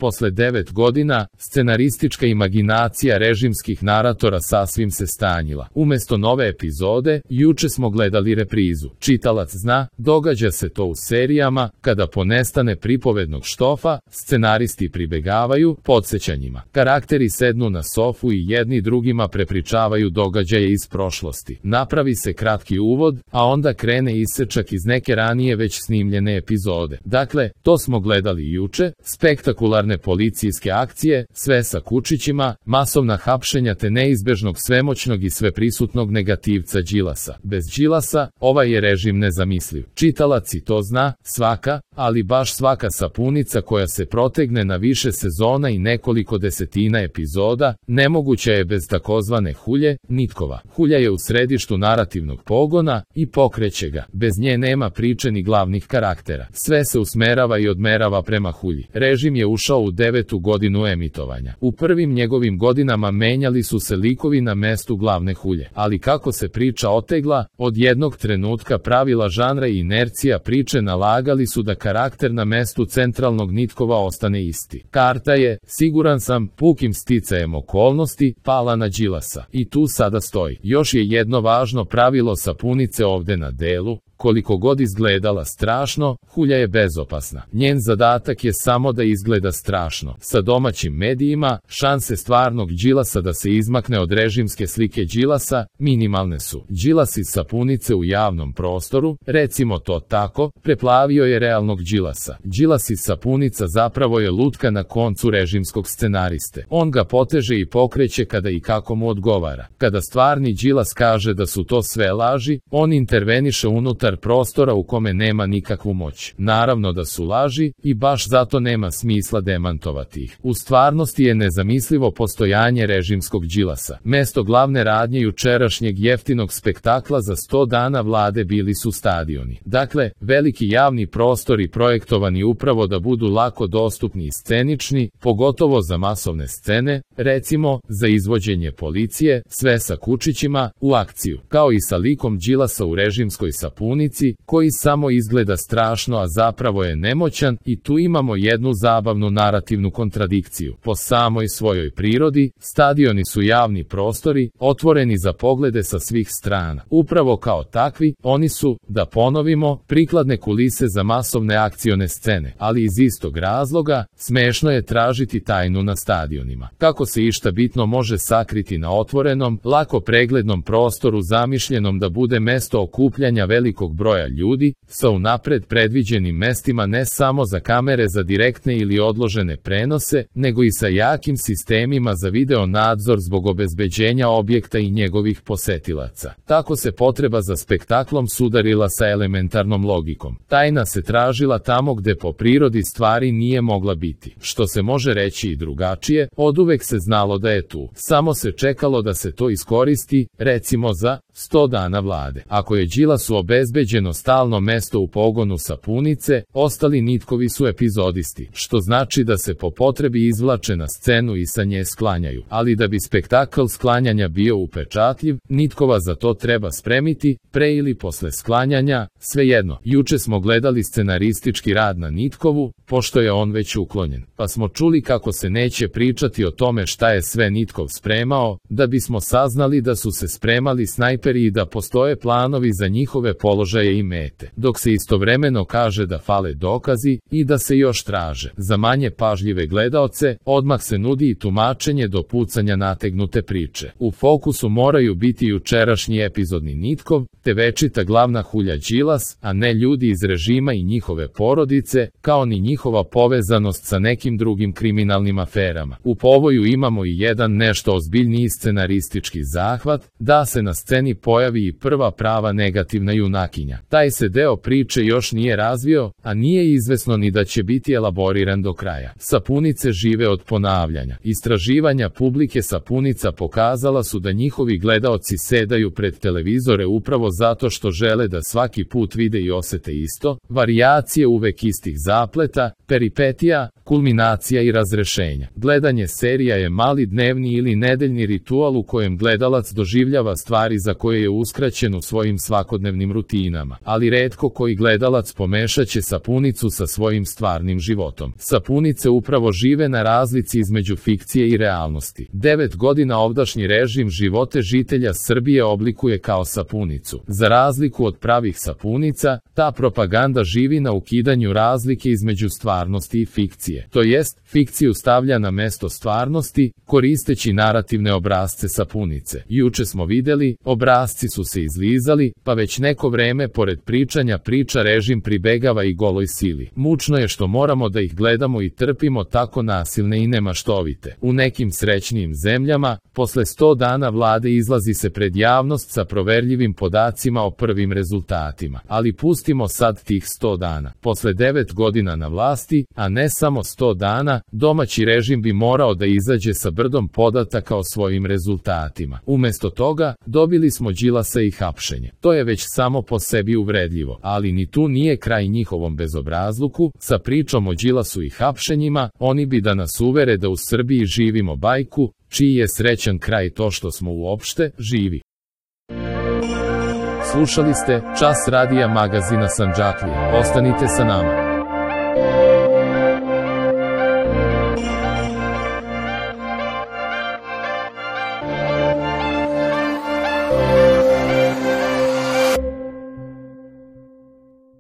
posle 9 godina, scenaristička imaginacija režimskih naratora sasvim se stanjila. Umesto nove epizode, juče smo gledali reprizu. Čitalac zna, događa se to u serijama, kada ponestane pripovednog štofa, scenaristi pribegavaju podsjećanjima. Karakteri sednu na sofu i jedni drugima prepričavaju događaje iz prošlosti. Napravi se kratki uvod, a onda krene isečak iz neke ranije već snimljene epizode. Dakle, to smo gledali juče, spektakularne policijske akcije, sve sa kučićima, masovna hapšenja te neizbežnog svemoćnog i sveprisutnog negativca Đilasa. Bez Đilasa, ovaj je režim nezamisliv. Čitalac i to zna, svaka, ali baš svaka sapunica koja se protegne na više sezona i nekoliko desetina epizoda, nemoguća je bez takozvane hulje, Nitkova. Hulja je u središtu narativnog pogona i pokreće ga. Bez nje nema priče ni glavnih karaktera. Sve se usmerava i odmerava prema hulji. Režim je ušao u 9. godinu emitovanja. U prvim njegovim godinama menjali su se likovi na mestu glavne hulje. Ali kako se priča otegla, od jednog trenutka pravila žanra i inercija priče nalagali su da karakter na mestu centralnog Nitkova ostane isti. Karta je, siguran sam, pukim sticajem okolnosti, pala na Đilasa. I tu sada stoji. Još je jedno važno pravilo sapunice ovde na delu. Koliko god izgledala strašno, hulja je bezopasna. Njen zadatak je samo da izgleda strašno. Sa domaćim medijima, šanse stvarnog Đilasa da se izmakne od režimske slike Đilasa, minimalne su. Đilas iz sapunice u javnom prostoru, recimo to tako, preplavio je realnog Đilasa. Đilas iz sapunica zapravo je lutka na koncu režimskog scenariste. On ga poteže i pokreće kada i kako mu odgovara. Kada stvarni Đilas kaže da su to sve laži, on interveniše unutar prostora u kome nema nikakvu moć. Naravno da su laži i baš zato nema smisla demantovati ih. U stvarnosti je nezamislivo postojanje režimskog Đilasa. Mesto glavne radnje jučerašnjeg jeftinog spektakla za 100 dana vlade bili su stadioni. Dakle, veliki javni prostori projektovani upravo da budu lako dostupni i scenični, pogotovo za masovne scene, recimo, za izvođenje policije, sve sa kučićima, u akciju, kao i sa likom Đilasa u režimskoj sapunici, koji samo izgleda strašno a zapravo je nemoćan, i tu imamo jednu zabavnu narativnu kontradikciju. Po samoj svojoj prirodi, stadioni su javni prostori, otvoreni za poglede sa svih strana. Upravo kao takvi, oni su, da ponovimo, prikladne kulise za masovne akcione scene, ali iz istog razloga, smešno je tražiti tajnu na stadionima. Kako se išta bitno može sakriti na otvorenom, lako preglednom prostoru zamišljenom da bude mesto okupljanja velikog broja ljudi, sa unapred predviđenim mestima ne samo za kamere za direktne ili odložene prenose, nego i sa jakim sistemima za video nadzor zbog obezbeđenja objekta i njegovih posetilaca. Tako se potreba za spektaklom sudarila sa elementarnom logikom. Tajna se tražila tamo gde po prirodi stvari nije mogla biti. Što se može reći i drugačije, oduvek se znalo da je tu. Samo se čekalo da se to iskoristi, recimo za 100 dana vlade. Ako je Đilasu obezbeđeno stalno mesto u pogonu sapunice, ostali Nitkovi su epizodisti, što znači da se po potrebi izvlače na scenu i sa nje sklanjaju. Ali da bi spektakl sklanjanja bio upečatljiv, Nitkova za to treba spremiti, pre ili posle sklanjanja, svejedno. Juče smo gledali scenaristički rad na Nitkovu, pošto je on već uklonjen, pa smo čuli kako se neće pričati o tome šta je sve Nitkov spremao, da bismo saznali da su se spremali snajperi i da postoje planovi za njihove položaje i mete, dok se istovremeno kaže da fale dokazi i da se još traže. Za manje pažljive gledaoce, odmah se nudi i tumačenje do pucanja nategnute priče. U fokusu moraju biti jučerašnji epizodni Nitkov, te večita glavna hulja Đilas, a ne ljudi iz režima i njihove porodice, kao ni njihova povezanost sa nekim drugim kriminalnim aferama. U povoju imamo i jedan nešto ozbiljniji scenaristički zahvat, da se na sceni pojavi i prva prava negativna junakinja. Taj se deo priče još nije razvio, a nije izvesno ni da će biti elaboriran do kraja. Sapunice žive od ponavljanja. Istraživanja publike sapunica pokazala su da njihovi gledaoci sedaju pred televizore upravo zato što žele da svaki put vide i osete isto, varijacije uvek istih zapleta, peripetija, kulminacija i razrešenja. Gledanje serija je mali dnevni ili nedeljni ritual u kojem gledalac doživljava stvari za koje je uskraćen u svojim svakodnevnim rutinama, ali retko koji gledalac pomešaće sapunicu sa svojim stvarnim životom. Sapunice upravo žive na razlici između fikcije i realnosti. 9 godina ovdašnji režim živote žitelja Srbije oblikuje kao sapunicu. Za razliku od pravih sapunica, ta propaganda živi na ukidanju razlike između stvarnosti i fikcije. To jest, fikciju stavlja na mesto stvarnosti, koristeći narativne obrasce sapunice. Juče smo videli, obrasci su se izlizali, pa već neko vreme pored pričanja priča režim pribegava i goloj sili. Mučno je što moramo da ih gledamo i trpimo tako nasilne i nemaštovite. U nekim srećnijim zemljama, posle 100 dana vlade izlazi se pred javnost sa proverljivim podacima o prvim rezultatima. Ali pustimo sad tih 100 dana. Posle 9 godina na vlasti, a ne samo 100 dana, domaći režim bi morao da izađe sa brdom podataka o svojim rezultatima. Umesto toga, dobili smo Đilasa i hapšenje. To je već samo po sebi uvredljivo, ali ni tu nije kraj njihovom bezobrazluku. Sa pričom o Đilasu i hapšenjima, oni bi da nas uvere da u Srbiji živimo bajku, čiji je srećan kraj to što smo uopšte živi. Slušali ste Čas radija magazina Sandžaklija. Ostanite sa nama.